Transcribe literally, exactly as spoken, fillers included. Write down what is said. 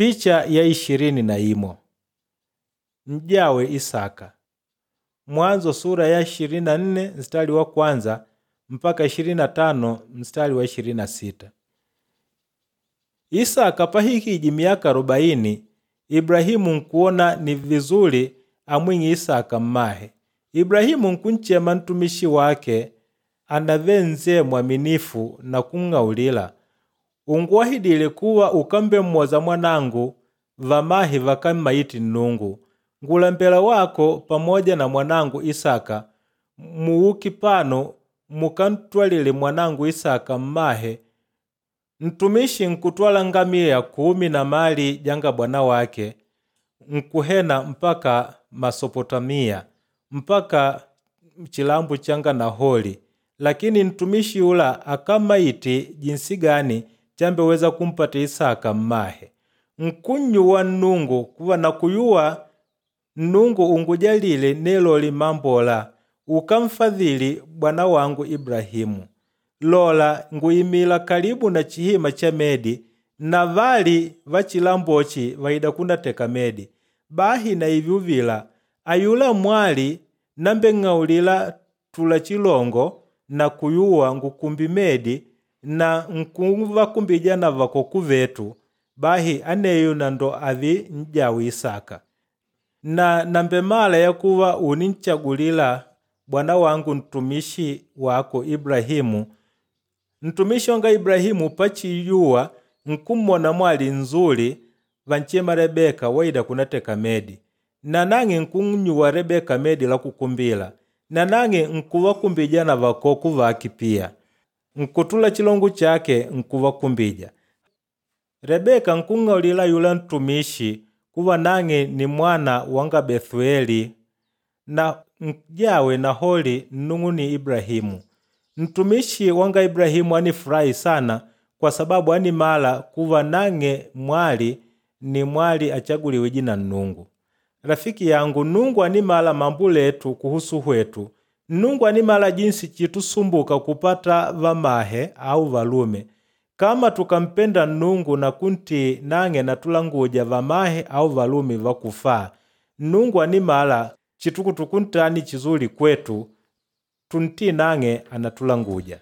Picha ya ishirini na imo N'jawe Isaka. Mwanzo sura ya ishirini na nne mstari wa kwanza mpaka ishirini na tano mstari wa ishirini na sita. Isaka pahikiji miaka arobaini, Ibrahimu nkuona ni vizuri amwing'i Isaka mmahe. Ibrahimu nkunchema ntumishi wake anave nzee mwaminifu na kung'aulila, unguahidile kuwa ukambemwoza mwanangu vamahe vakammaiti Nnungu. Ngulembela wako pamoja na mwanangu Isaka muuki pano mukantwalile mwanangu Isaka mmahe. Ntumishi nkutwala ngamia kumi na mali janga bwana wake nkuhena mpaka Masopotamia mpaka chilambu changa Naholi, lakini ntumishi yula akamaiti jinsi gani chambeweza kumpata Isaka mmahe. Nkunnyuwa Nnungu kuva nakuyuwa Nnungu ungujalile neloli mambola ukamfadhili bwana wangu Ibrahimu. Lola nguyimila kalibu na chihima cha medi na vali va chilambochi vaida kunateka medi. Bahi na ivyuvila ayula mwali nambeng'aulila tula chilongo na kuyuwa ngukumbi medi na nkuvakumbija na vakoku vetu, bahi aneyo na ndo avi n'jawe Isaka. Na nambemala yakuva uninchagulila bwana wangu ntumishi wako Ibrahimu. Ntumishi wanga Ibrahimu pachiyuwa nkummona mwali nzuli vanchema Rebeka waida kunateka medi. Nanang'e nkunnyuwa Rebeka medi la kukumbila. Nanang'e nkuvakumbija na vakoku vake pia. Nkutula chilongo chake nkuvakumbija. Rebeka nkung'aulila yula ntumishi kuva nang'e ni mwana wanga Bethueli na njawe Naholi nnung'uni Ibrahimu. Ntumishi wanga Ibrahimu anifurahi sana kwa sababu animala kuva nang'e mwali ni mwali achaguliwiji na Nnungu. Rafiki yangu, Nnungu animala mambo letu kuhusu hwetu. Nnungu animala jinsi chitusumbuka kupata vamahe au valume. Kama tukampenda Nnungu na kuntii nang'e natulanguja vamahe au valume vakufaa. Nnungu animala chitukutukuntani chizuli kwetu, tuntii nang'e anatulanguja.